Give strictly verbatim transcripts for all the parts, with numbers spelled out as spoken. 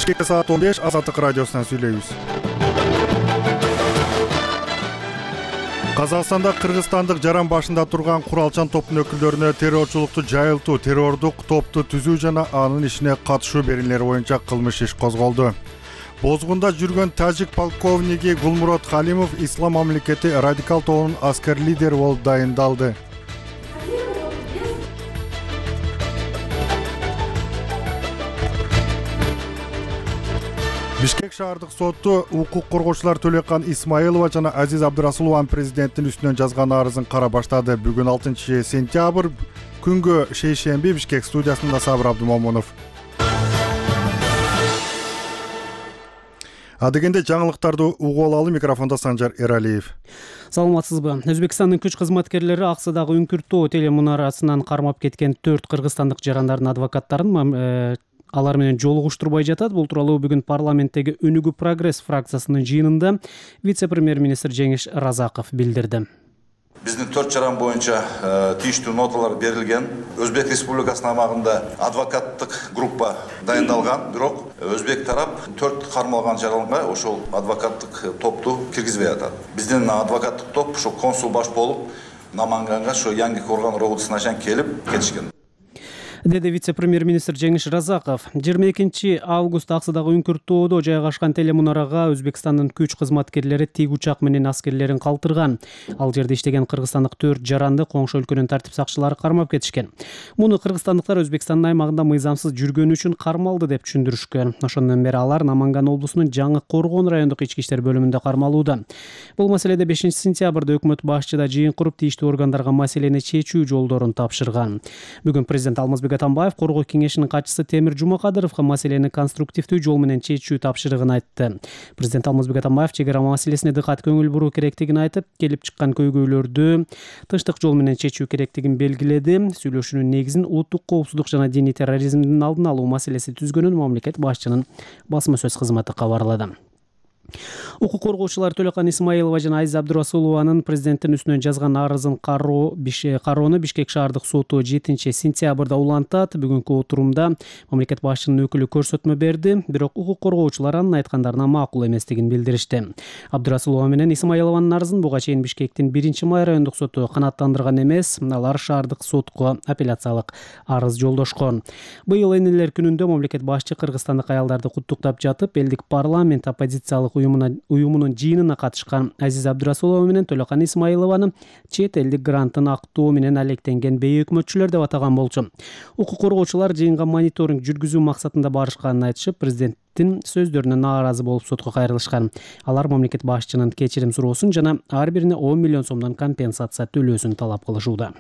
Бишкекте саат он беш, Азаттык радиосунан сүйлөйбүз. Казакстанда кыргызстандык жаран башында турган куралчан топтун өкүлдөрүнө террорчулукту жайылтуу, террордук топту түзүү жана анын ишине катышуу беренелери боюнча кылмыш иш козголду. Бозгунда жүргөн тажик полковниги Гулмурод Халимов Ислам мамлекети радикал тобунун аскер лидери болуп дайындалды. Бишкек шаардык соту укук коргоочулар Төлөкан Исмаилова жана Азиз Абдырасулованын президенттин үстүнөн жазган арызын кара баштады. Бүгүн алтынчы сентябрь күнгө шейшемби. Бишкек студиясында Сабыр Абдымомунов. Адегенде жаңылыктарды угуп алалы. Микрофондо Санжар Эралиев. Саламатсызбы? Өзбекстандын күч кызматкерлери Аксыдагы Үңкүртөө телемунарасынан кармап кеткен төрт кыргызстандык жарандардын адвокаттарын алар менен жолугуштурбай жатат. Бул тууралуу бүгүн парламенттеги Өнүгүү прогресс фракциясынын жыйынында вице-премьер-министр Жеңиш Разаков билдирди. Биздин төрт жаран боюнча тийиштүү ноталар берилген. Өзбек Республикасынын аймагында адвокаттык группа дайындалган, бирок өзбек тарап төрт кармалган жаранга ошол адвокаттык топту киргизбей атат. Биздин адвокаттык топ ошо консул баш болуп Наманганга, ошо Яңгы Коргон облусуна чейин келип кетишкен. Деди вице-премьер-министр Жеңиш Разаков. жыйырма экинчи август Аксыдагы Үңкүртөөдө жайгашкан телемунарага Өзбекстандын күч кызматкерлери тиг учак менен аскерлерин калтырган. Ал жерде иштеген кыргызстандык төрт жаранды коңшу өлкөнүн тартип сакчылары кармап кетишкен. Муну кыргызстандыктар Өзбекстандын аймагында мыйзамсыз жүргөнү үчүн кармалды деп түшүндүрүшкөн. Ошондон бери алар Наманган облусунун Жаңы Коргон райондук ички иштер бөлүмүндө кармалууда. Бул маселеде бешинчи сентябрда өкмөт башчыда жыйын куруп тийиштүү органдарга маселени чечүү жолдорун тапшырган. Бүгүн президент Алмазбек Атамбаев Коргоо кеңешинин катчысы Темир Жумакадыровго маселени конструктивдүү жол менен чечүү тапшырыгын айтты. Президент Алмазбек Атамбаев чек ара маселесине дыкат көңүл буруу керектигин айтып, келип чыккан көйгөйлөрдү тынчтык жол менен чечүү керектигин белгиледи. Сүйлөшүүнүн негизин улуттук коопсуздук жана диний терроризмдин алдын алуу маселеси түзгөнүн мамлекет башчынын басма сөз кызматы кабарлады. Укук коргоочулар Төлөкан Исмаилова жана Азиз Абдырасулованын президенттин үстүнөн жазган арызын кароону Бишкек шаардык соту жетинчи сентябрда улантат. Бүгүнкү отурумда мамлекет башчынын өкүлү көрсөтмө берди, бирок укук коргоочулар анын айткандарына макул эместигин билдиришти. Абдырасулова менен Исмаилованын арызын буга чейин Бишкектин биринчи май райондук соту канааттандырган эмес, алар шаардык сотко апелляциялык арыз жолдошкон. Быйыл энелер күнүндө мамлекет башчы кыргызстандык аялдарды куттуктап жатып, элдик парламент оппозициялык уюмунун жыйынына катышкан Азиз Абдырасулова менен Төлөкан Исмаилованы чет элдик гранттын актоо менен алектенген бейөкмөтчүлөр деп атаган болчу. Укук коргоочулар жыйынга мониторинг жүргүзүү максатында барышканын айтышып, президенттин сөздөрүнө нааразы болуп сотко кайрылышкан. Алар мамлекет башчынын кечирим суроосун жана ар бирине он миллион сомдон компенсация төлөөсүн талап кылышууда.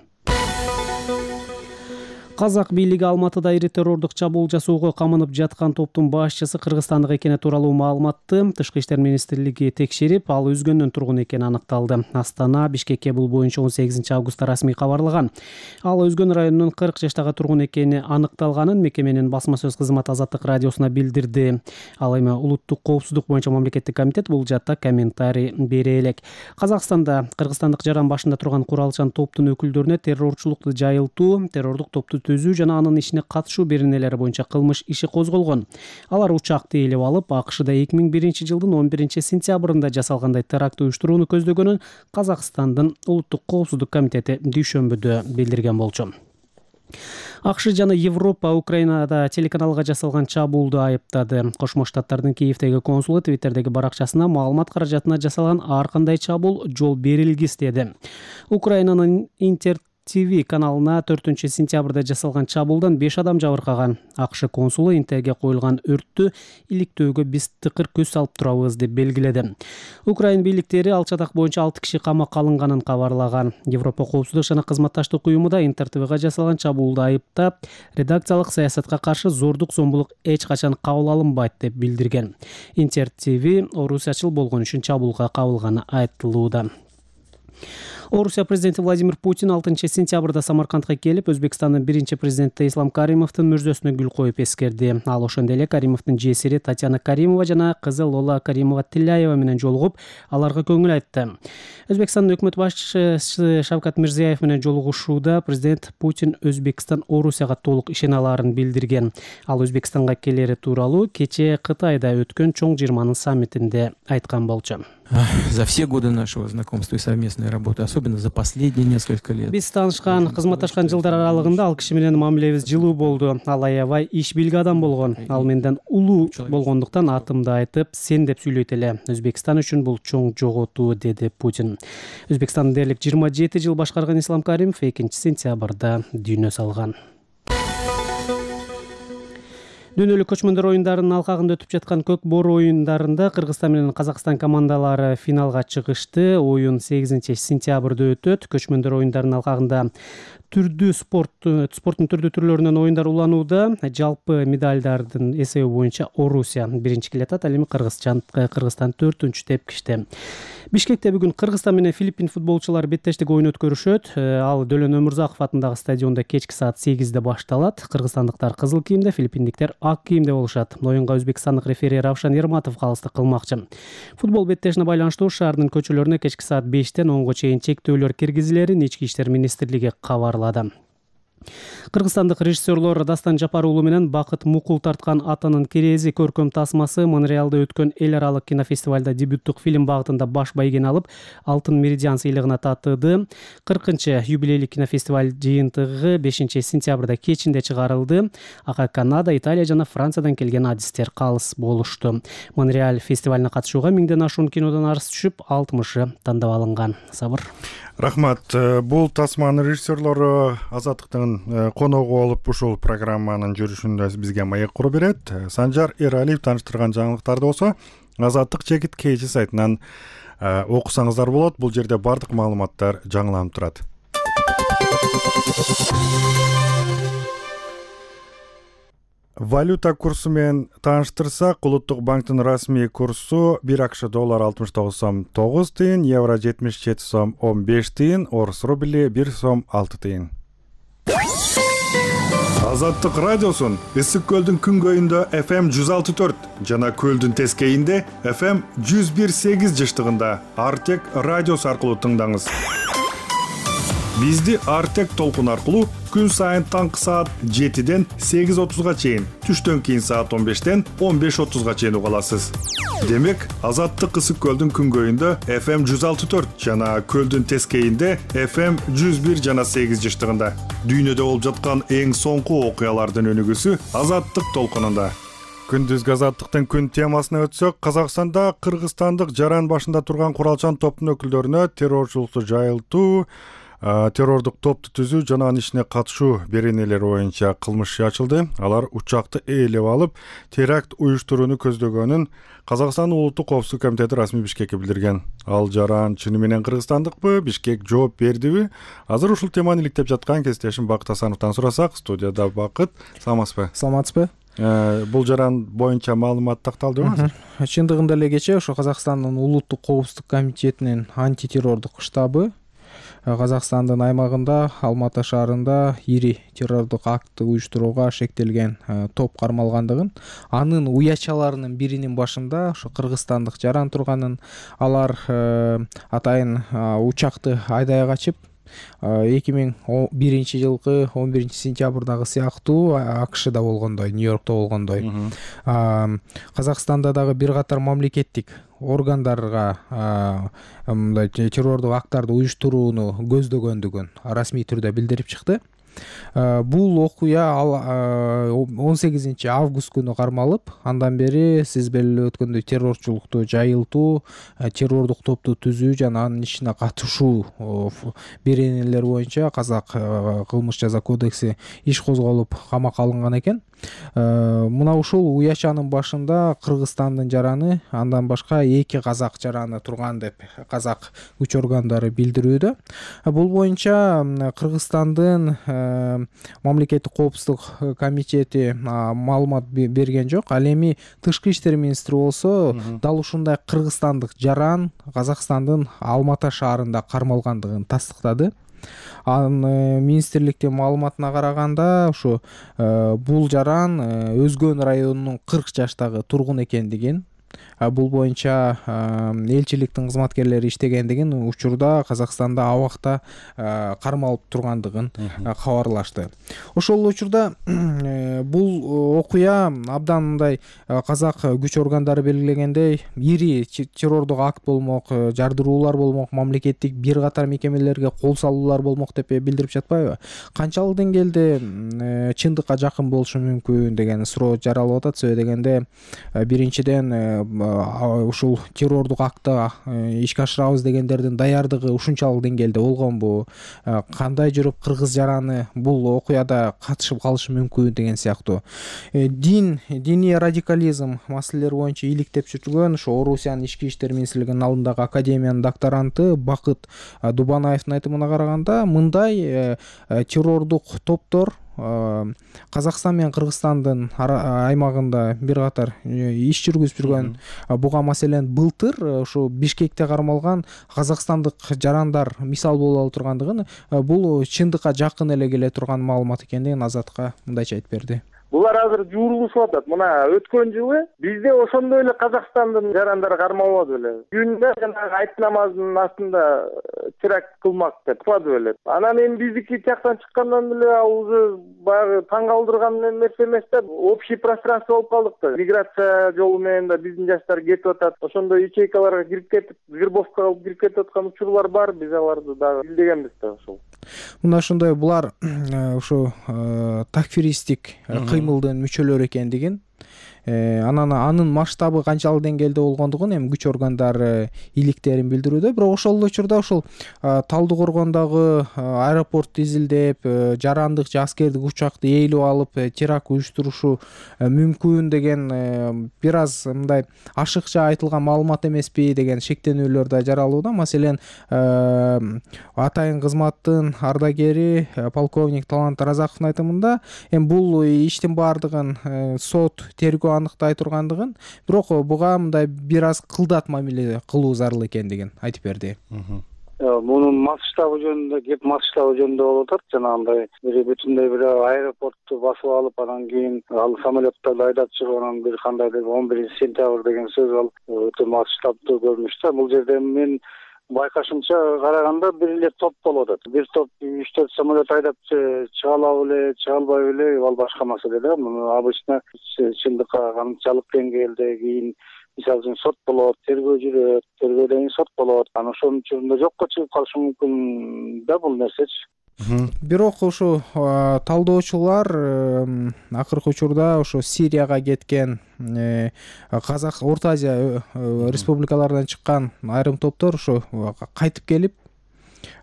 Казак бийлиги Алматыда ири террордук чабуул жасоого камынып жаткан топтун башчысы кыргызстандык экени тууралуу маалыматты Тышкы иштер министрлиги текшерип, ал өзгөндөн тургун экени аныкталды. Астана Бишкекке бул боюнча он сегизинчи августта расмий кабарлаган. Ал Өзгөн районунун кырк жаштагы тургун экени аныкталганын мекеменин басма сөз кызматы Азаттык радиосуна билдирди. Ал эми улуттук коопсуздук боюнча мамлекеттик комитет бул жатта комментарий бере элек. Казакстанда кыргызстандык жаран башында турган куралчан топтун өкүлдөрүнө террорчулукту жайылтуу, террордук топту түзүү жана анын ишине катышуу беренелери боюнча кылмыш иши козголгон. Алар учакты ээлеп алып, АКШда эки миң биринчи жылдын он биринчи сентябрында жасалгандай теракт уюштурууну көздөгөнүн Казакстандын улуттук коопсуздук комитети дүйшөмбүдө билдирген болчу. АКШ жана Европа Украинада телеканалга жасалган чабуулду айыптады. Кошмо Штаттардын Киевдеги консулу Твиттердеги баракчасына маалымат каражатына жасалган ар кандай чабуул жол берилгис деди. Украинанын Интер ти ви каналына төртүнчү сентябрда жасалган чабуулдан беш адам жабыркаган. АКШ консулу Интерге коюлган өрттү иликтөөгө биз тыкыр көз салып турабыз деп белгиледи. Украин бийликтери ал чатак боюнча алты киши камакка алынганын кабарлаган. Европа коопсуздук жана кызматташтык уюму да Интер ТВга жасалган чабуулду айыптап, редакциялык саясатка каршы зордук зомбулук эч качан кабыл алынбайт деп билдирген. Интер ти ви орусиячыл болгон үчүн чабуулга кабылганы айтылууда. Орусия президенти Владимир Путин алтынчы сентябрда Самаркандга келип, Өзбекстандын биринчи президенти Ислам Каримовдун мүрзөсүнө гүл коюп эскерди. Ал ошондой эле Каримовдун жесири Татьяна Каримова жана кызы Лола Каримова Тилляева менен жолугуп, аларга көңүл айтты. Өзбекстандын өкмөт башчысы Шавкат Мирзиёев менен жолугушууда президент Путин Өзбекстан Орусияга толук ишене алаарын билдирген. Ал Өзбекстанга келери тууралуу кечээ Кытайда өткөн чоң жыйырманын саммитинде айткан болчу. За все годы нашего знакомства и совместной работы, особенно за последние несколько лет. Биз таанышкан, кызматташкан жылдар аралыгында ал киши менен мамилебиз жылуу болду. Ал аябай иш билги адам болгон. Ал менден улуу болгондуктан атымды айтып, сен деп сүйлөйт эле. Өзбекстан үчүн бул чоң жоготуу, деди Путин. Өзбекстанды дээрлик жыйырма жети жыл башкарган Ислам Каримов экинчи сентябрда дүйнө салган. Дүйнөлүк көчмөндөр оюндарынын алкагында өтүп жаткан көк боору оюндарында Кыргызстан менен Казакстан командалары финалга чыгышты. Оюн сегизинчи сентябрда өтөт. Көчмөндөр оюндарынын алкагында түрдүү спорт спорттун түрдүү түрлөрүнөн оюндар уланууда. Жалпы медалдардын эсеби боюнча Орусия биринчи келатат, ал эми Кыргызстан Кыргызстан төртүнчү тепкичте. Бишкекте бүгүн Кыргызстан менен Филиппин футболчулары беттештик оюн өткөрүшөт. Ал Дөлөн Өмүрзаков атындагы стадиондо кечки саат сегизде башталат. Кыргызстандыктар кызыл кийимде, филиппиндиктер ак кийимде болушат. Оюнга өзбекстандык рефери Равшан Ерматов калыстык кылмакчы. Футбол беттешине байланыштуу шаардын көчөлөрүнө кечки саат бештен онго чейин чектөөлөр киргизилерин Ички иштер министрлиги кабарлады. Кыргызстандык режиссерлор Дастан Жапар уулу менен Бакыт Мукул тарткан Атанын керези көркөм тасмасы Монреалда өткөн эл аралык кинофестивалда дебюттук фильм багытында баш байгени алып, Алтын меридиан сыйлыгына татыды. кыркынчы юбилейлик кинофестиваль жыйынтыгы бешинчи сентябрда кечинде чыгарылды. Ага Канада, Италия жана Франциядан келген адистер калыс болушту. Монреаль фестивалына катышууга миңден ашуун кинодон арыз түшүп, алтымышы тандап алынган. Сабыр. Рахмат. Бул тасманын режиссерлору Азаттыктын коногу болуп ушул программанын жүрүшүндө бизге маек куруп берет. Санжар Эралиев тааныштырган жаңылыктарды болсо Азаттык Чекит Кейжи сайтынан окусаңыздар болот. Бул жерде бардык маалыматтар жаңыланып турат. Валюта курсу менен тааныштырсак, Улуттук банктын расмий курсу бир акш доллар алтымыш тогуз сом тогуз тыйын, евро жетимиш жети сом он беш тыйын, орус рубли бир сом алты тыйын. Азаттык радиосун Ысык көлдүн күнгөйүндө эф эм жүз алты төрт жана көлдүн тескейинде эф эм жүз бир сегиз жыштыгында Артек радиосу аркылуу тыңдаңыз. Бизди Артек толкун аркылуу күн сайын таңкы саат жетиден сегиз отузга чейин, түштөн кийин саат он бештен он беш отузга чейин уга аласыз. Демек, Азаттык Ысык көлдүн күнгөйүндө эф эм жүз алты төрт жана көлдүн тескейинде эф эм жүз бир жана сегиз жыштыгында. Дүйнөдө болуп жаткан эң соңку окуялардын өнүгүүсү Азаттык толкунунда. Күндүзгү Азаттыктын күн темасына өтсөк, Казакстанда кыргызстандык жаран башында турган куралчан топтун өкүлдөрүнө террорчулукту жайылтуу, террордук топту түзүү жана анын ишине катышуу беренелери боюнча кылмыш ачылды. Алар учакты ээлеп алып, теракт уюштурууну көздөгөнүн Казакстан Улуттук коопсуздук комитети расмий Бишкекке билдирген. Ал жаран чыны менен кыргызстандыкпы, Бишкек жооп бердиби? Азыр ушул теманы иликтеп жаткан кесиптешим Бакыт Асановдон сурасак, студияда Бакыт, саламатсызбы? Саламатсызбы? Бул жаран боюнча маалымат такталдыбы? Чындыгында эле кечээ ошо Казакстандын Улуттук коопсуздук комитетинин антитеррордук штабы Казакстандын аймагында Алматы шаарында ири террордук актты уюштурууга шектелген топ кармалгандыгын, анын уячаларынын биринин башында ошо кыргызстандык жаран турганын, алар атайын учакты Айдайга качып эки миң биринчи жылкы он биринчи сентябрдагы сыяктуу АКШда болгондой, Нью-Йоркто болгондой. Казакстанда дагы бир катар мамлекеттик органдарга мындай террордук акттарды уюштурууну көздөгөндүгүн расмий түрдө билдирип чыкты. Бул окуя он сегизинчи август күнү кармалып, андан бери сиз белгилеп өткөндөй террорчулукту жайылтуу, террордук топту түзүү жана анын ишине катышуу беренелери боюнча Казак кылмыш жаза кодекси иш козголуп камакка алынган экен. Мына ушул уячанын башында Кыргызстандын жараны, андан башка эки казак жараны турган деп казак күч органдары билдирүүдө. Бул боюнча Кыргызстандын мамлекеттик коопсуздук комитети маалымат берген жок. Ал эми тышкы иштер министри болсо дал ушундай кыргызстандык жаран Казакстандын Алматы шаарында кармалгандыгын тастыктады. Анын министрликтин маалыматына караганда ушу бул жаран Өзгөн районунун кырк жаштагы тургун экендигин, бул боюнча элчиликтин кызматкерлери иштегендигин, учурда Казакстанда абакта кармалып тургандыгын кабарлашты. Ошол учурда бул окуя абдан мындай казак күч органдары белгилегендей ири террордук акт болмок, жардыруулар болмок, мамлекеттик бир катар мекемелерге кол салуулар болмок деп билдирип жатпайбы? Канчалык деңгээлде чындыкка жакын болушу мүмкүн деген суроо жаралып атат. Себеби дегенде биринчиден ушул террордук акта ишке ашырабыз дегендердин даярдыгы ушунчалык деңгээлде болгонбу? Кандай жүрүп кыргыз жараны бул окуяда катышып калышы мүмкүн деген сыяктуу дин, диний радикализм маселелери боюнча иликтеп жүргөн ошо Орусиянын ички иштер министрлигинин алдындагы академиянын докторанты Бакыт Дубанаевдин айтымына караганда, мындай террордук топтор Казакстан менен Кыргызстандын аймагында бир катар иш жүргүзүп жүргөн. Буга маселен былтыр ушу Бишкекте кармалган казакстандык жарандар мисал боло ала тургандыгын, бул чындыкка жакын эле келе турган маалымат экендигин Азатка мындайча айтып берди. Булар азыр жуурулушуп атат. Мына өткөн жылы бизде ошондой эле Казакстандын жарандары кармалбады беле. Күндө жанагы айт намазынын астында теракт кылмак деп кылды беле. Анан эми биздики жактан чыккандан эле ал уже баягы таң калтырган нерсе эмес да, общий пространство болуп калдык да. Миграция жолу менен да биздин жаштар кетип атат. Ошондой ячейкаларга кирип кетип, грибовка кылып кирип кетип аткан учурлар бар. Биз аларды дагы билдегенбиз да ошол. Мына ошондой булар ушу такфиристик кыймылдын мүчөлөрү экендигин, анан анын масштабы канчалык деңгээлде болгондугун эми күч органдары иликтерин билдирүүдө. Бирок ошол учурда ушул Талдыкоргондогу аэропортту изилдеп, жарандык же аскердик учакты ээлеп алып теракт уюштурушу мүмкүн деген бир аз мындай ашыкча айтылган маалымат эмеспи деген шектенүүлөр да жаралууда. Маселен, атайын кызматтын ардагери полковник Талант Разаковдун айтымында, эми бул иштин баардыгын сот тергөө аныктай тургандыгын, бирок буга мындай бир аз кылдат мамиле кылуу зарыл экендигин айтып берди. Мунун масштабы жөнүндө, кеп масштабы жөнүндө болуп атат. Жанагындай бир бүтүндөй бир аэропортту басып алып, анан кийин ал самолеттарды айдап чыгып, анан бир кандайдыр он биринчи сентябрь деген сөз, ал өтө масштабдуу көрүнүш да. Бул жерде мен байкашымча караганда бир эле топ болуп атат. Бир топ үч төрт самолет айдап чыга алабы эле, чыга албайбы эле, ал башка маселе да. Муну обычно чындыкка канчалык деңгээлде кийин мисалы үчүн сот болот, тергөө жүрөт, тергөөдөн кийин сот болот. Анан ошонун учурунда жокко чыгып калышы мүмкүн да бул нерсечи. Бирок ушу талдоочулар акыркы учурда ошо Сирияга кеткен Казак, Орто Азия республикаларынан чыккан айрым топтор ушу кайтып келип,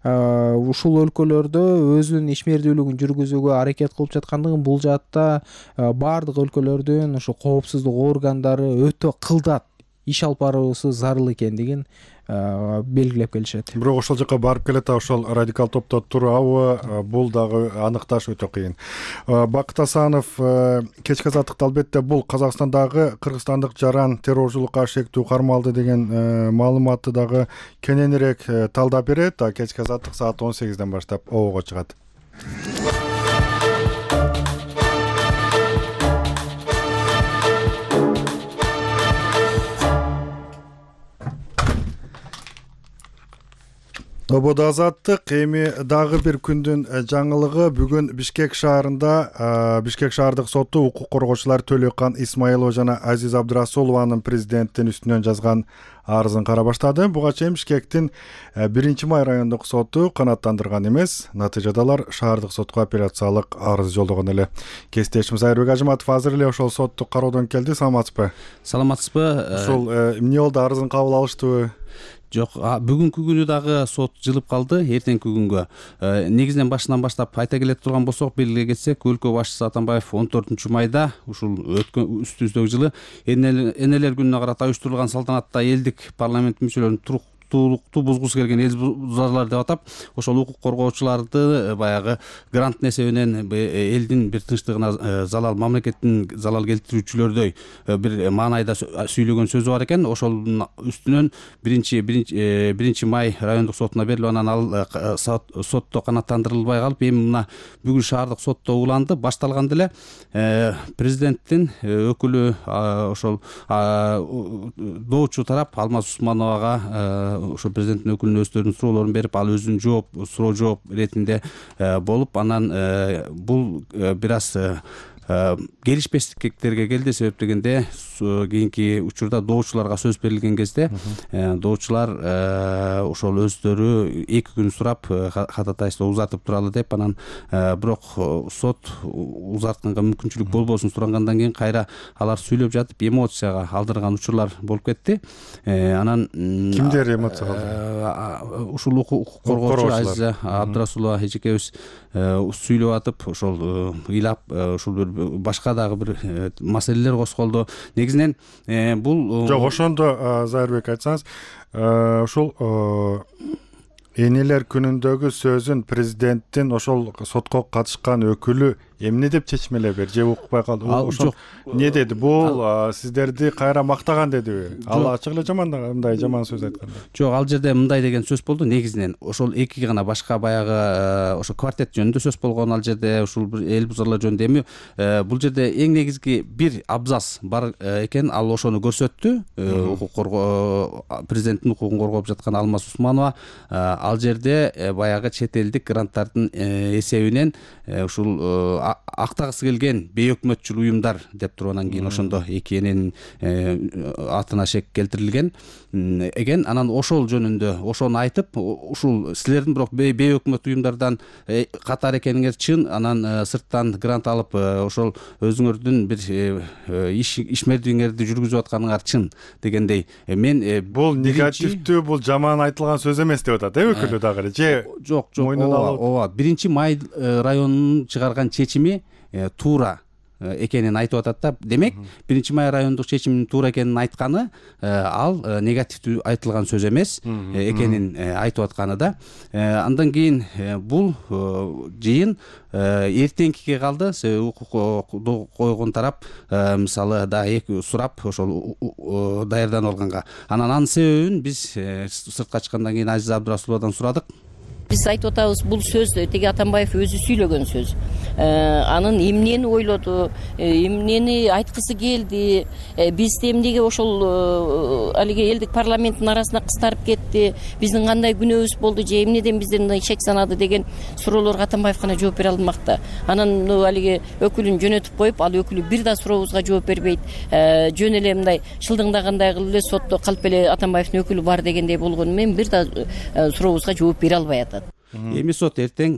ушул өлкөлөрдө өзүнүн ишмердүүлүгүн жүргүзүүгө аракет кылып жаткандыгын, бул жаатта баардык өлкөлөрдүн ушу коопсуздук органдары өтө кылдат иш алып баруусу зарыл экендигин белгилеп келишет. Бирок ошол жака барып келет, ошол радикал топто турабы, бул дагы аныкташ өтө кыйын. Бакыт Асанов, кечки азаттыкта албетте бул Казакстандагы кыргызстандык жаран террорчулукка шектүү кармалды деген маалыматты дагы кененирээк талдап берет. Кечки азаттык саат он сегизден баштап обого чыгат. Ободо азаттык. Эми дагы бир күндүн жаңылыгы. Бүгүн Бишкек шаарында Бишкек шаардык соту укук коргоочулар Төлөкан Исмаилова жана Азиз Абдырасулованын президенттин үстүнөн жазган арызын кара баштады. Буга чейин Бишкектин биринчи май райондук соту канааттандырган эмес. Натыйжада алар шаардык сотко апелляциялык арыз жолдогон эле. Кесиптешим Айырбек Ажыматов азыр эле ошол сотту кароодон келди. Саламатсызбы? Саламатсызбы? Ушул эмне болду, арызын кабыл алыштыбы? Жок, бүгүнкү күнү дагы сот жылып калды, эртеңки күнгө. Негизинен башынан баштап айта келе турган болсок, белгилей кетсек, өлкө башчысы Атамбаев он төртүнчү майда ушул өткөн үстүбүздөгү жылы энелер күнүнө карата уюштурулган салтанатта элдик парламент мүчөлөрүнүн укуктуулукту бузгусу келген эл бузарлар деп атап, ошол укук коргоочуларды баягы гранттын эсебинен элдин бир тынчтыгына залал, мамлекеттин залал келтирүүчүлөрдөй бир маанайда сүйлөгөн сөзү бар экен. Ошонун үстүнөн биринчи биринчи май райондук сотуна берилип, анан ал сотто канааттандырылбай калып, эми мына бүгүн шаардык сотто уланды. Башталганда эле президенттин өкүлү, ошол доочу тарап Алмаз Усмановага ошо президенттин өкүлүнүн өздөрүнүн суроолорун берип, ал өзүнүн жооп суроо жооп иретинде болуп, анан бул бир аз келишпестиктерге келди. Себеп дегенде кийинки учурда доочуларга сөз берилген кезде доочулар ошол өздөрү эки күн сурап ходатайство узартып туралы деп, анан бирок сот узартканга мүмкүнчүлүк болбосун сурангандан кийин кайра алар сүйлөп жатып эмоцияга алдырган учурлар болуп кетти. Анан кимдер эмоцияга алдырды? Ушул укук коргоочу Азиза Абдрасулова эжекебиз сүйлөп атып, ошол ыйлап, ушул бир башка дагы бир маселелер козголду. Негизинен бул жок, ошондо Зайырбек айтсаңыз, ушул энелер күнүндөгү сөзүн президенттин ошол сотко катышкан өкүлү эмне деп чечмелей берди же укпай калды? Ошол эмне деди? Бул сиздерди кайра мактаган дедиби? Ал ачык эле жаман мындай жаман сөз айтканда. Жок, ал жерде мындай деген сөз болду. Негизинен ошол эки гана башка баягы ошо квартет жөнүндө сөз болгон, ал жерде ушул бир эл бузарлар жөнүндө. Эми бул жерде эң негизги бир абзац бар экен, ал ошону көрсөттү. Укук коргоо президенттин укугун коргоп жаткан Алмаз Усманова ал жерде баягы чет элдик гранттардын эсебинен ушул актагысы келген бейөкмөтчүл уюмдар деп туруп, анан кийин ошондо эки эненин атына шек келтирилген экен. Анан ошол жөнүндө ошону айтып, ушул силердин бирок бейөкмөт уюмдардан катар экениңер чын, анан сырттан грант алып ошол өзүңөрдүн бир ишмердигиңерди жүргүзүп атканыңар чын дегендей. Мен бул негативдүү, бул жаман айтылган сөз эмес деп атат, э өкүлү дагы же? Жок, жок, ооба, биринчи май районунун чыгарган чечими туура экенин айтып атат да. Демек, биринчи май райондук чечиминин туура экенин айтканы ал негативдүү айтылган сөз эмес экенин айтып атканы да. Андан кийин бул жыйын эртеңкиге калды. Укук койгон тарап мисалы да эки сурап ошол даярданып алганга. Анан анын себебин биз сыртка чыккандан кийин Азиза Абдрасуловадан сурадык. Биз айтып атабыз, бул сөз теги Атамбаев өзү сүйлөгөн сөз. Анын эмнени ойлоду, эмнени айткысы келди, бизде эмнеге ошол алиги элдик парламенттин арасына кыстарып кетти, биздин кандай күнөөбүз болду же эмнеден бизден шек санады деген суроолорго Атамбаев гана жооп бере алмакта. Анан алиги өкүлүн жөнөтүп коюп, ал өкүлү бир да сурообузга жооп бербейт. Жөн эле мындай шылдыңдагандай кылып эле сотто калып эле Атамбаевдин өкүлү бар дегендей болгону менен бир да сурообузга жооп бере албай атат. Эми сот эртең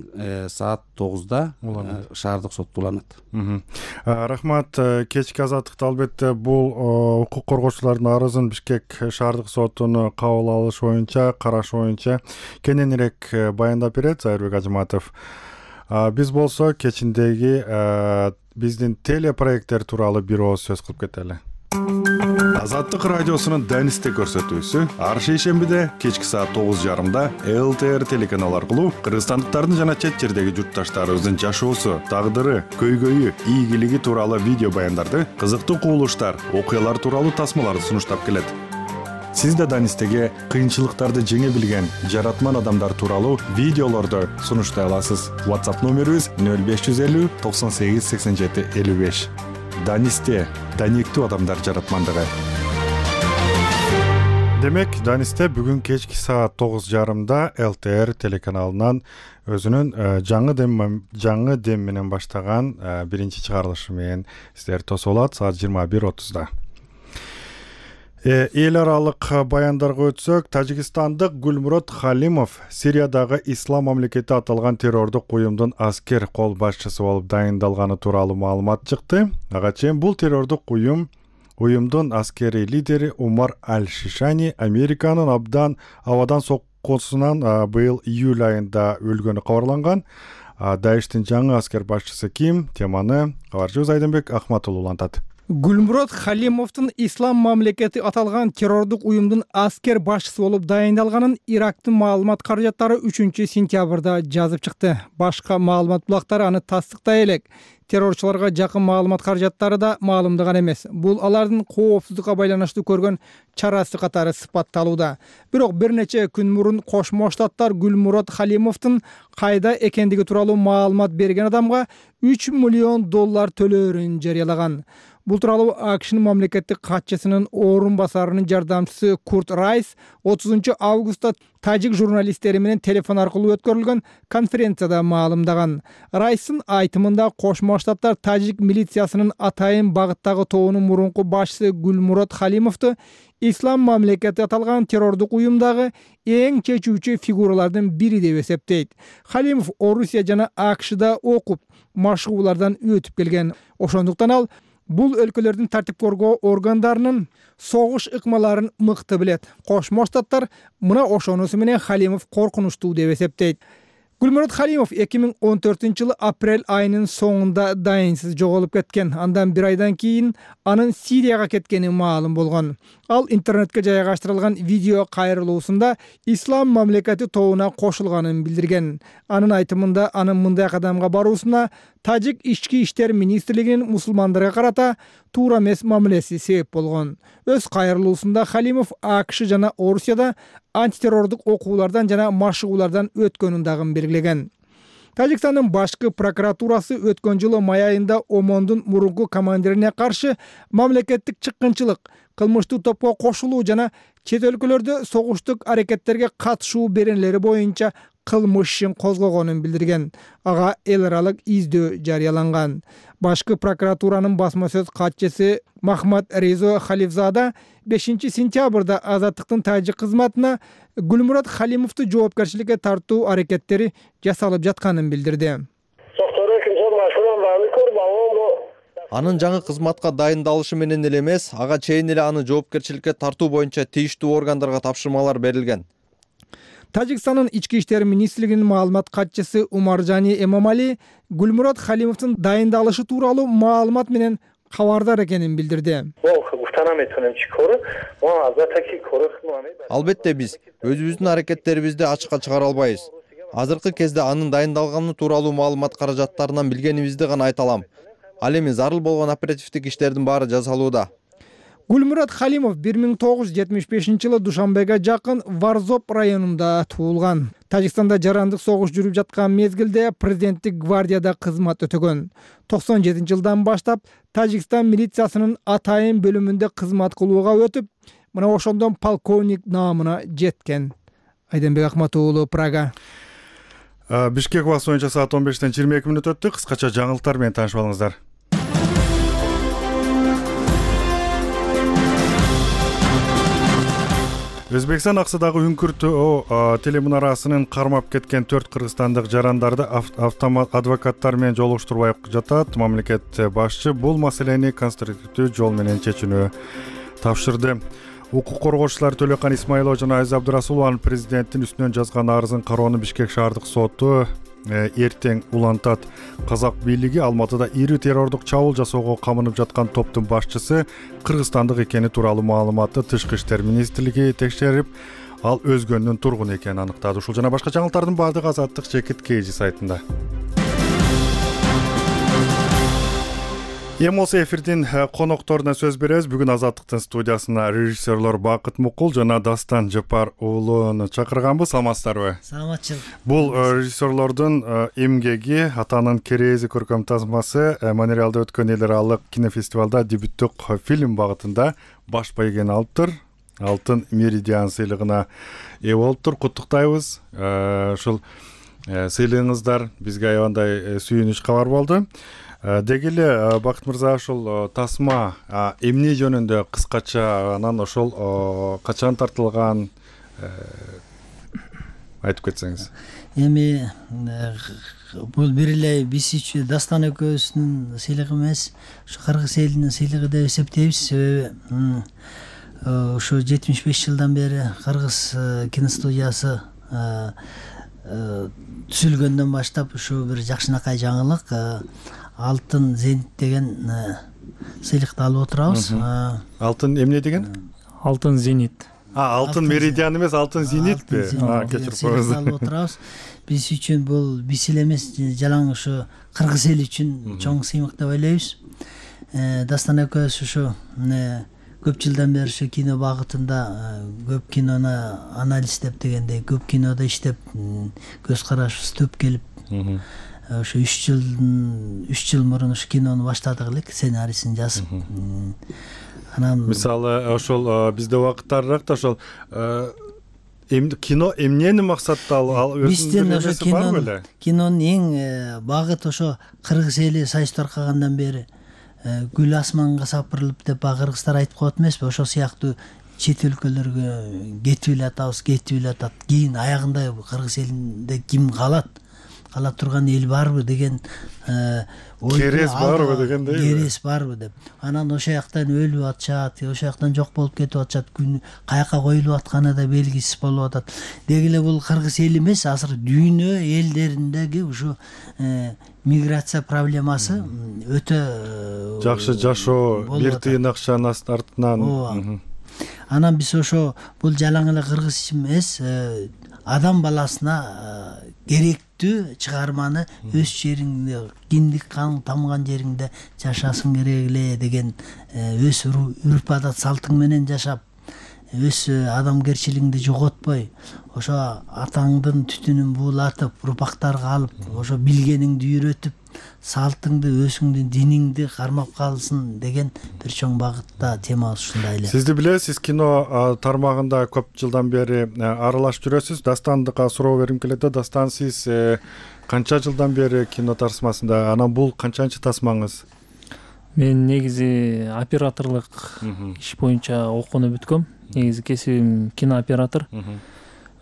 саат тогузда шаардык сотто уланат. Рахмат. Кечки азаттыкта албетте бул укук коргоочулардын арызын Бишкек шаардык сотунун кабыл алыш боюнча, караш боюнча кененирээк баяндап берет Зайырбек Ажыматов. Биз болсо кечиндеги биздин телепроекттер тууралуу бир ооз сөз кылып кетели. Азаттык радиосунун Данисте көрсөтүүсү ар шейшембиде кечки саат тогуз жарымда эл тэ эр телеканалы аркылуу кыргызстандыктардын жана чет жердеги журтташтарыбыздын жашоосу, тагдыры, көйгөйү, ийгилиги тууралуу видео баяндарды, кызыктуу кубулуштар, окуялар тууралуу тасмаларды сунуштап келет. Сиз да Данистеге кыйынчылыктарды жеңе билген жаратман адамдар тууралуу видеолорду сунуштай аласыз. WhatsApp номерибиз нөл беш жүз элүү токсон сегиз сексен жети элүү беш. Данисте даниктүү адамдар жаратмандыгы. Демек, Данисте бүгүн кечки саат тогуз жарымда эл тэ эр телеканалынан өзүнүн жаңы дем жаңы дем менен баштаган биринчи чыгарылышы менен сиздер тосуп алат саат жыйырма бир отузда. Эл аралык баяндарга өтсөк, Тажикстандык Гүлмурод Халимов Сириядагы Ислам мамлекети аталган террордук уюмдун аскер кол башчысы болуп дайындалганы тууралуу маалымат чыкты. Ага чейин бул террордук уюм уюмдун аскери лидери Умар Аль-Шишани Американын абдан абадан соккусунан быйыл июль айында өлгөнү кабарланган. Даиштин жаңы аскер башчысы ким? Теманы кабарчыбыз Айдынбек Ахматуллу улантат. Гүлмурод Халимовдун Ислам мамлекети аталган террордук уюмдун аскер башчысы болуп дайындалганын Ирактын маалымат каражаттары үчүнчү сентябрда жазып чыкты. Башка маалымат булактары аны тастыктай элек. Террорчуларга жакын маалымат каражаттары да маалымдаган эмес. Бул алардын коопсуздукка байланыштуу көргөн чарасы катары сыпатталууда. Бирок бир нече күн мурун Кошмо Штаттар Гүлмурод Халимовдун кайда экендиги тууралуу маалымат берген адамга үч миллион доллар төлөөрүн жарыялаган. Бул тууралуу АКШнын мамлекеттик катчысынын орун басарынын жардамчысы Курт Райс отузунчу августта тажик журналисттери менен телефон аркылуу өткөрүлгөн конференцияда маалымдаган. Райстын айтымында Кошмо Штаттар тажик милициясынын атайын багыттагы тобунун мурунку башчысы Гүлмурод Халимовду Ислам мамлекети аталган террордук уюмдагы эң чечүүчү фигуралардын бири деп эсептейт. Халимов Орусия жана АКШда окуп, машыгуулардан өтүп келген. Ошондуктан ал бул өлкөлөрдүн тартип коргоо органдарынын согуш ыкмаларын мыкты билет. Кошмо Штаттар мына ошонусу менен Халимов коркунучтуу деп эсептейт. Гүлмурод Халимов эки миң он төртүнчү жылы апрель айынын соңунда дайынсыз жоголуп кеткен. Андан бир айдан кийин анын Сирияга кеткени маалым болгон. Ал интернетке жайгаштырылган видео кайрылуусунда Ислам мамлекети тобуна кошулганын билдирген. Анын айтымында анын мындай кадамга баруусуна Тажик ички иштер министрлигинин мусулмандарга карата туура эмес мамилеси себеп болгон. Өз кайрылуусунда Халимов АКШ жана Орусияда антитеррордук окуулардан жана машыгуулардан өткөнүн дагы белгилеген. Тажикстандын башкы прокуратурасы өткөн жылы май айында Омондун мурунку командирине каршы мамлекеттик чыккынчылык, кылмыштуу топко кошулуу жана чет өлкөлөрдө согуштук аракеттерге катышуу беренелери боюнча кылмыш ишин козгогонун билдирген. Ага эл аралык издөө жарыяланган. Башкы прокуратуранын басма сөз катчысы Махмад Резо Халифзада бешинчи сентябрда Азаттыктын тажик кызматына Гүлмурод Халимовду жоопкерчиликке тартуу аракеттери жасалып жатканын билдирди. Анын жаңы кызматка дайындалышы менен эле эмес, ага чейин эле аны жоопкерчиликке тартуу боюнча тийиштүү органдарга тапшырмалар берилген. Тажикстандын ички иштер министрлигинин маалымат катчысы Умаржани Эмомали Гүлмурод Халимовдун дайындалышы тууралуу маалымат менен кабардар экенин билдирди. Албетте биз өзүбүздүн аракеттерибизди ачыкка чыгара албайбыз. Азыркы кезде анын дайындалганы тууралуу маалымат каражаттарынан билгенибизди гана айта алам. Ал эми зарыл болгон оперативдик иштердин баары жасалууда. Гүлмурод Халимов бир миң тогуз жүз жетимиш бешинчи жылы Душанбеге жакын Варзоп районунда туулган. Тажикстанда жарандык согуш жүрүп жаткан мезгилде президенттик гвардияда кызмат өтөгөн. токсон жетинчи жылдан баштап Тажикстан милициясынын атайын бөлүмүндө кызмат кылууга өтүп, мына ошондон полковник наамына жеткен. Айденбек Акматов уулу, Прага. Бишкек убакыты боюнча саат он бештен жыйырма эки мүнөт өттү. Кыскача жаңылыктар менен таанышып алыңыздар. Өзбекстан аксыдагы Үңкүртөө телемунарасынын кармап кеткен төрт кыргызстандык жарандарды автомат адвокаттар менен жолуштурбай жатат. Мамлекет башчы бул маселени конструктивдүү жол менен чечүүнү тапшырды. Укук коргоочулар Төлөкан Исмаилова жана Азиз Абдырасулованын президенттин үстүнөн жазган арызын кароону Бишкек шаардык соту эртең улантат. Казак бийлиги Алматыда ири террордук чабуул жасоого камынып жаткан топтун башчысы кыргызстандык экени тууралуу маалыматты Тышкы иштер министрлиги текшерип, ал өзгөнүн тургуну экенин аныктады. Ушул жана башка жаңылыктардын баардыгы Азаттык Чекит Кейжи сайтында. Эми болсо эфирдин конокторуна сөз беребиз. Бүгүн Азаттыктын студиясына режиссерлор Бакыт Мукул жана Дастан Жапар уулуну чакырганбыз. Саламатсыздарбы? Саламатчылык. Бул режиссерлордун эмгеги, атанын Керези көркөм тасмасы Монреалда өткөн эл аралык кинофестивалда дебюттук фильм багытында баш байгени алыптыр. Алтын Меридиан сыйлыгына ээ болуптур. Куттуктайбыз. Ушул сыйлыгыңыздар бизге аябандай сүйүнүч кабар болду. Деги эле Бакыт мырза, ошол тасма эмне жөнүндө кыскача, анан ошол качан тартылган айтып кетсеңиз. Эми бул бир эле биз үчүн Дастан экөөбүздүн сыйлыгы эмес, ушу кыргыз элинин сыйлыгы деп эсептейбиз. Себеби ушу жетимиш беш жылдан бери кыргыз киностудиясы түзүлгөндөн баштап ушу бир жакшынакай жаңылык Алтын Зенит деген сыйлыкты алып отурабыз. Алтын эмне деген? Алтын зенит. А, алтын меридиан эмес, алтын зенитпи? А, кечирип коюңуз. Алып отурабыз. Биз үчүн бул биз эле эмес, жалаң ушу кыргыз эли үчүн чоң сыймык деп ойлойбуз. Дастан экөөбүз ушу көп жылдан бери ушу кино багытында көп кинону анализдеп дегендей, көп кинода иштеп, көз карашыбыз төп келип, ошо үч жылдын үч жыл мурун ушу кинону баштадык элек, сценарийсин жазып. Анан мисалы ошол бизде убакыттарыраак да ошол кино эмнени максатта ал биздин ошо кино кинонун эң багыт ошо кыргыз эли Союз таркагандан бери гүл асманга сапырылып деп баягы кыргыздар айтып коет эмеспи, ошол сыяктуу чет өлкөлөргө кетип эле атабыз, кетип эле атат. Кийин аягында кыргыз элинде ким калат? Кала турган эл барбы деген керес барбы дегендей. Керес барбы деп. Анан ошол жактан өлүп атышат, ошол жактан жок болуп кетип атышат, күн каяка коюлуп атканы да белгисиз болуп атат. Деги эле бул кыргыз эли эмес, азыр дүйнө элдериндеги ушу миграция проблемасы өтө жакшы жашоо, бир тыйын акчанын артынан. Анан биз ошо бул жалаң эле кыргыз эмес, адам баласына керектүү чыгарманы өз жериңде, киндик каның тамган жериңде жашасың керек эле деген өз үрп адат салтың менен жашап, өз адамгерчилигиңди жоготпой, ошо атаңдын түтүнүн буулатып, урпактарга алып, ошо билгениңди үйрөтүп, салтыңды, өзүңдүн диниңди кармап калсын деген бир чоң багытта темабыз ушундай эле. Сизди билесиз, кино тармагында көп жылдан бери аралашып жүрөсүз. Дастандыкка суроо бергим келет. Дастан, сиз канча жылдан бери кино тасмасында? Анан бул канчанчы тасмаңыз? Мен негизи операторлук иш боюнча окууну бүткөм. Негизи кесибим кинооператор.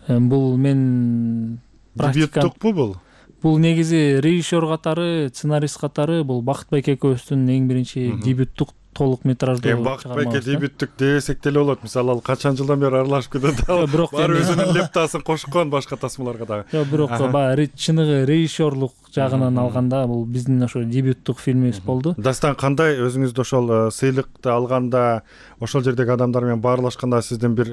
Бул мен дебюттукпу бул? Бул негизи режиссер катары, сценарист катары бул Бакыт Байке экөөбүздүн эң биринчи дебюттук толук метраждуу чыгармабыз. Бакыт Байке дебюттук десек деле болот. Мисалы, ал качан жылдан бери аралашып кетет. Бирок бар өзүнүн лептасын кошкон башка тасмаларга дагы. Жок, бирок баягы чыныгы режиссерлук жагынан алганда бул биздин ошо дебюттук фильмибиз болду. Дастан, кандай өзүңүздү ошол сыйлыкты алганда, ошол жердеги адамдар менен баарлашканда сиздин бир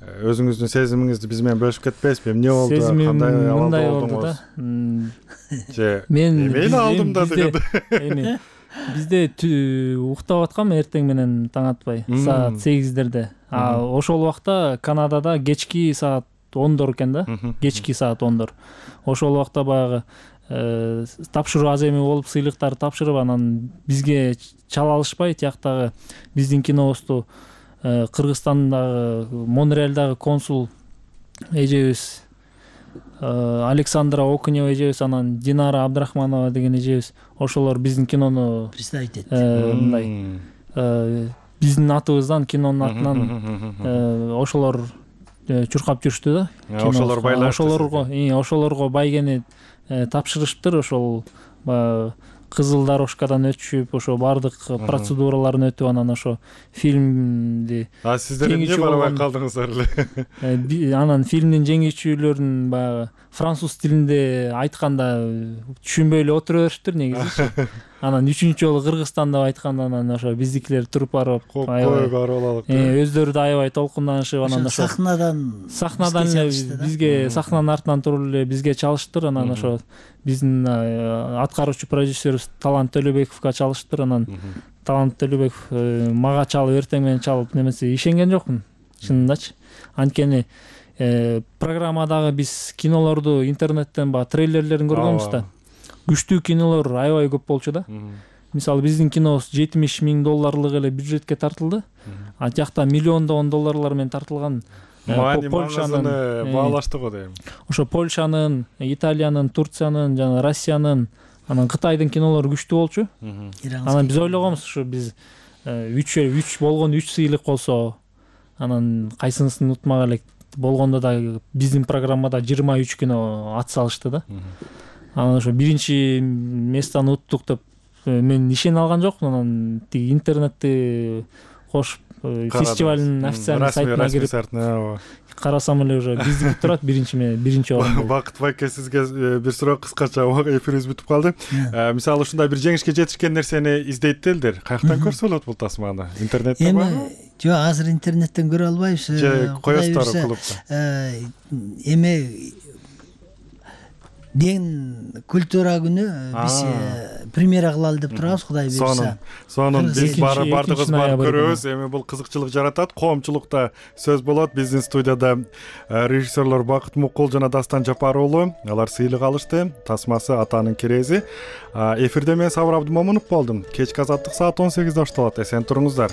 өзүңүздүн сезимиңизди биз менен бөлүшүп кетпейсизби? Эмне болду? Кандай мындай болду да. Же мен мен алдым да деген. Бизде уктап аткам эртең менен таң атпай, саат сегиздерде. А ошол убакта Канадада кечки саат ондор экен да, кечки саат ондор. Ошол убакта баягы тапшыруу аз эме болуп, сыйлыктарды тапшырып, анан бизге чала алышпай, тияктагы биздин кинобузду Кыргызстандагы, Монреалдагы консул эжебиз Александра Окунева эжебиз, анан Динара Абдрахманова деген эжебиз, ошолор биздин кинону представить этти. Мындай биздин атыбыздан, кинонун атынан ошолор чуркап жүрүштү да. Ошолор байлашты. Ошолорго, ошолорго байгени тапшырышыптыр. Ошол кызыл дорожкадан өтүшүп, ошо баардык процедураларын өтүп, анан ошо фильмди. А сиздер эмне барабай калдыңыздар эле? Анан фильмдин жеңүүчүлөрүн баягы француз тилинде айтканда түшүнбөй эле отура беришиптир негизи. Анан үчүнчү жолу Кыргызстан деп айтканда, анан ошо биздикилер туруп барып, аябай барып өздөрү да аябай толкунданышып, анан ошо сахнадан сахнадан бизге сахнанын артынан туруп эле бизге чалыштыр. Анан ошо биздин аткаруучу продюсерибиз Талант Төлөбековго чалыштыр. Анан Талант Төлөбеков мага чалып, эртең менен чалып, немесе ишенген жокмун чынындачы. Анткени программадагы биз кинолорду интернеттен баягы трейлерлерин көргөнбүз да. Күчтүү кинолор аябай көп болчу да. Мисалы, биздин кинобуз жетимиш миң долларлык эле бюджетке тартылды. А жакта миллиондогон долларлар менен тартылган. Польшанын баалашты го дейм. Ошо Польшанын, Италиянын, Турциянын жана Россиянын, анан Кытайдын кинолору күчтүү болчу. Анан биз ойлогонбуз, ушу биз үч үч болгон үч сыйлык болсо, анан кайсынысын утмак элек болгондо да биздин программада жыйырма үч кино ат салышты да. Анан ошо биринчи местаны уттук деп мен ишене алган жокмун. Анан тиги интернетти кошуп фестивалдын официальный сайтына кирип карасам эле уже биздики турат биринчи биринчи орунда. Бакыт байке, сизге бир суроо кыскача, эфирибиз бүтүп калды. Мисалы ушундай бир жеңишке жетишкен нерсени издейт элдер. Каяктан көрсө болот бул тасманы? Интернетте барбы? Эми жок, азыр интернеттен көрө албайбыз. Же коесуздар клубда? Эми ден культура күнү биз премьера кылалы деп турабыз, Кудай буйрса. Сонун биз бардыгыбыз барып көрөбүз. Эми бул кызыкчылык жаратат, коомчулукта сөз болот. Биздин студияда режиссерлор Бакыт Мукул жана Дастан Жапар уулу, алар сыйлык алышты. Тасмасы Атанын керези. Эфирде мен Сабыр Абдымомунов болдум. Кечки азаттык саат он сегизде башталат. Эсен туруңуздар.